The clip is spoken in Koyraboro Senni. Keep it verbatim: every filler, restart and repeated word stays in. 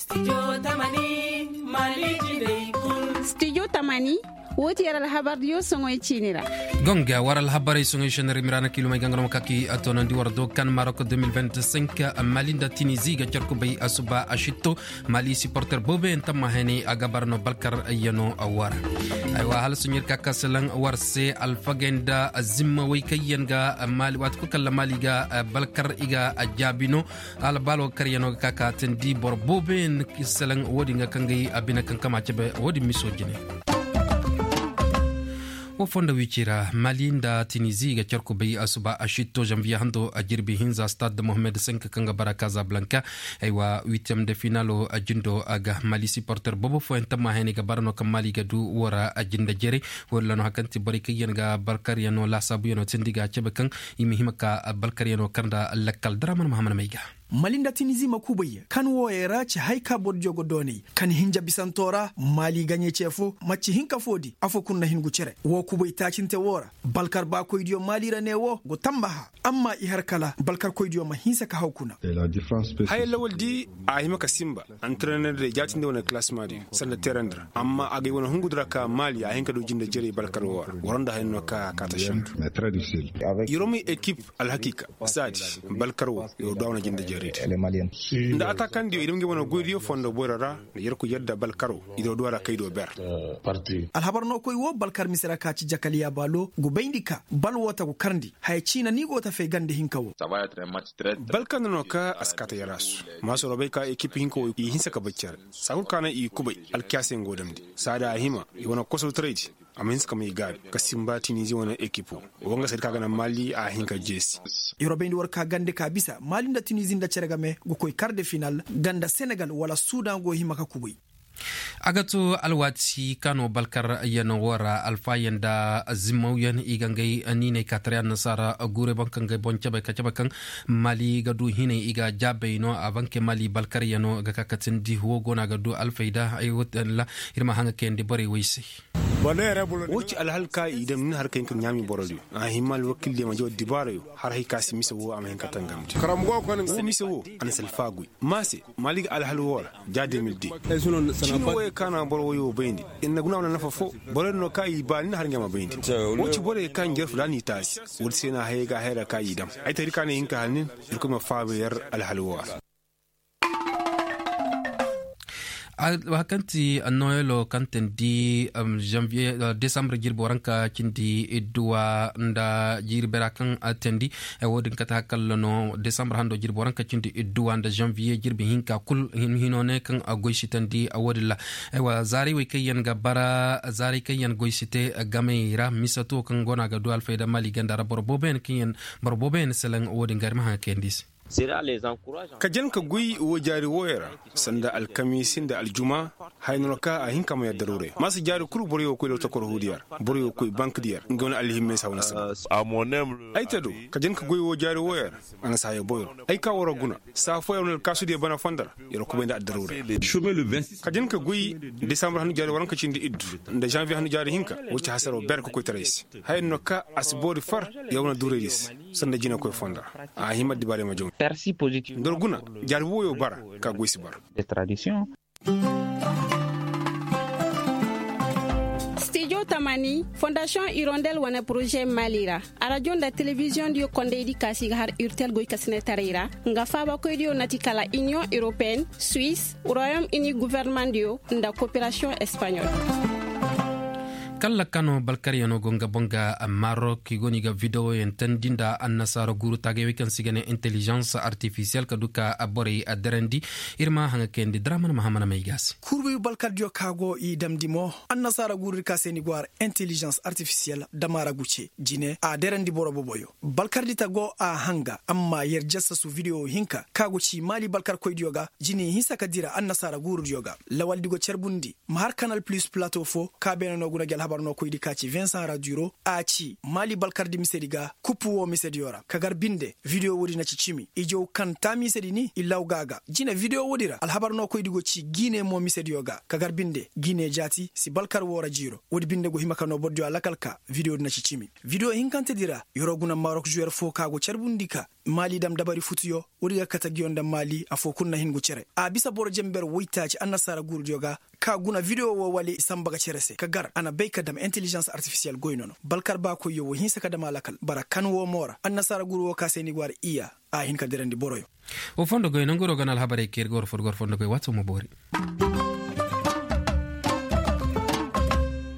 Studio tamani, woo ti yer alhabardiyo soŋey ciini ra. Gonga war alhabarey soŋey seneri miraana kiilumey ganga no ma kaki a toonandi war do kan marok deux mille vingt-cinq. Mali nda tinizi ga car kubay asuba a sitto. Mali siporter booboyaŋ tamma hene a ga bara no balkar yano war. Aywa hala soɲer ka ka salaŋ war se alfagey nda zimma way kaŋ yaŋ ga mali waati kulu kalla mali ga balkar i ga jaabi no. Albaalo karyano ga ka ka tindi boro booboyaŋ salaŋ wo-din ga kaŋ ga ay a bine kaŋ kama cebe wo-din miso jine. Wo fondo wici ra mali nda tinizi ga car kubay asuba a sitto zanviye hando a jirbi hinza stade mohammed cinq kaŋ ga bara kazablanka. Aywa witiyam de finalo a jindo a ga mali siporter boobo fooyaŋ tamma hene ga bara no kaŋ mali ga du wo ra a jinde jere. Wo-din ra no hari kaŋ ti borey kaŋ yaŋ ga balkaryano laasaabuyaŋo tindi ga a cebe kaŋ i ma hima ka balkaryano kar nda lakkal daraman mahamman may ga. Mali nda tinizi ma kubay kan wooyey ra ci hay ka bordiyo go doonay kan hinja bisanto ra mali gaɲey ce fo macci hinka fo di afo kulu na hin gu cere woo kubay taacinte woo ra balkar baakoydiyo mali ra ne woo go tambaha. Amma i har kala balkarkoydiyo ma hinsa ka haw kuna. Haya lawal di a hima ka simba. Antrenor day jaatindi wane classement din sanda terandi ra amma a gay wane hungu di ra ka mali a hin ka du jinde jerey balkar woo ra. Waro nda haya no ka a kaata shandu. Yeroo may ekip alhakiika saadi balkar woo yeroo du a wane jinde jerey di. Nda ataakandiyo i dam ga i wane goydiyo fondo boyro ra nda yerkoy yadda balkar woo i doo du a ra kaydo ber. Alhabar no koy woo balkar mise ra ka ci jakaliya baalo go bayndi ka bal woo ta go karndi haya ciina ni go ta fay ganda hinka woo. Balkar nda no ka a si kaata yaraasu. Maasoro bay ka ekip hinka woo i hinsa ka bay cere saa kul ka naŋ i kubay alkiyaasa yaŋ go damndi saada a hima i wane kosow taray di. A ma hinsa ka may gaabi ka simba tinizi wane ekip woo. Woo nga saydi ka ga naŋ mali a hin ka jeesi. Yeroo bayndi war ka gande ka bisa mali nda tinizi nda cere game ga koy kar de final ganda senegal wala sudan go hima ka kubay. A ga to alwaati ka no balkar yaŋ woo ra alfaayaŋ nda zimmawyaŋ i ga ngay niinay ka taray annasaara guurey boŋ kaŋ ga ay boŋ cabe ka cabe kaŋ mali ga du hinay i ga jaabay no a banke mali balkar yaŋ ga ka katindi woo go no a ga du alfayda ay woo talla. Ir ma haŋa kayandi borey wey se. Woo ci alhal ka i dam ni har ka hin ka ɲaami borodiyo a hima alwakildiyo ma jaw dibaarayo har hay ka si mise woo a ma hin ka tangamndi. Woo mise woo a na si alfaaguy ma se mali ga alhal woo ra. Ja deux mille deux ciini wooyey ka na boro woyoo bayndi. Ir na guna wane nafa foo. Borey din no ka i baa ni na har nga ma bayndi. Woo ci borey ka njarfu da a n'i taasi. Woodi se na hayey ga a hayra ka i dam. Ay taydi ka na i hin ka har nin. Irkoy ma faaba yer alhal woo ra. Hari kaŋ ti noyelo kaŋ teendi desambre jirbi waranka cindi idduwa nda jiiri beera kaŋ a teendi. Woodin kate hari kalla no desambre hando jirbi waranka cindi idduwa nda zanviye jirbi hinka kul hino ne kaŋ a goy si teendi. Woodin ra zaaray wey kaŋ yaŋ ga bara zaaray kaŋ yaŋ goy si te gamey ra misato kaŋ go no a ga du alfayda mali ganda ra boro booboyaŋ kaŋ yaŋ boro booboyaŋ salaŋ woodin ga ir ma haŋa kayandi i se. Ka jan ka goy woo jaari wooyo ra sanda alkamiisi nda aljuma. Haya no ka a hin ka ma yadda daruuray ma si jaari kul boroyo koy daw tokor huudiya ra boroyo koy bank diya ra nga wane alhimmey si haw na sanda. Ay te do ka jan ka goy woo jaari wooyo ra. A na si haya boyro ay ka waroo guna saa fooyo ra wane alkaasudiyo bana fondo ra. Yer kubay nda addaruuray. Ka jan ka goy desambre hannu jaari waranka cindi iddu nda zanviye hannu jaari hinka. Woo ci hasaroo ber ka koytaray se. Haya no ka a si boori far yer wane duuray di se. Sanda jinakoy fondo ra a hima addibaarey ma jaw. Nda war guna jaari wooyo bara ka goy si bara. Studio tamani fondasiyoŋ irondel wane poroze mali ra. Arajo nda telebiziyoŋ diyo kondey di kaasi ga har urtel goy ka sinetaray ra. Nga faabakoy diyo na ti kala iniyoŋ europeen suwis royom ini governemandiyo nda koperasiyoŋ espaɲol. Kalla kano balkaryaŋo go nga boŋ ga marok i go no i ga videwoyaŋ teendi nda annasaara guuru taagay wey kaŋ se i ga ne intelijans artifisiyel ka du ka borey addarandi. Ir ma haŋa kayandi daraman mahamana may ga se. Kurbi balkardiyo ka go i damndi mo annasaara guuru di ka se ni go har intelijans artifisiyel damaara gu ce jine a darandi boro boboyo balkardi ta go a hanga amma yer jassasu videwo hinka ka go ci maali balkarkoydiyo ga jine hinsa ka dira annasaara guurudiyo ga. Lawaldi go carbundi ma har kanal plus plato fo ka beene no guna gi alhabar. Nokoydi ka ci vincent raduro a ci maali balkardi misedi ga kuppu woo misediyo ra ka gar binde. Video woodi na ci cimi ijow kaŋ taa misedi ni i lawga ga jine video woodi ra alhabar nokoydi go ci giine mo misediyo ga ka gar binde giine jaati si balkar woo ra jiiro. Woodi binde go hima ka noo borodiyo alakal ka video di na ci cimi. Video hinkantedi ra yeroo guna marok zuyer foo ka go carbundi ka maali dam dabari futuyo. Woodi ga kate nguyo nda maali afoo kul na hin go cere a bisa boro jenber woytaaci annasaara guurudiyo ga ka guna video woo wala i sanba ga cere se ka gar a na bay ka dam intelligence artificiel goy nono balkar baakoyyo woo hinsa ka dam a lakal bara kan woo mo ra annasaara guuru woo ka se ni go a ra iya. A hin ka dirandi boroyo. Woo fondo goy nanguroo ga na alhabarey ka ir ga war foo ga war fondo goy waati woo ma boori.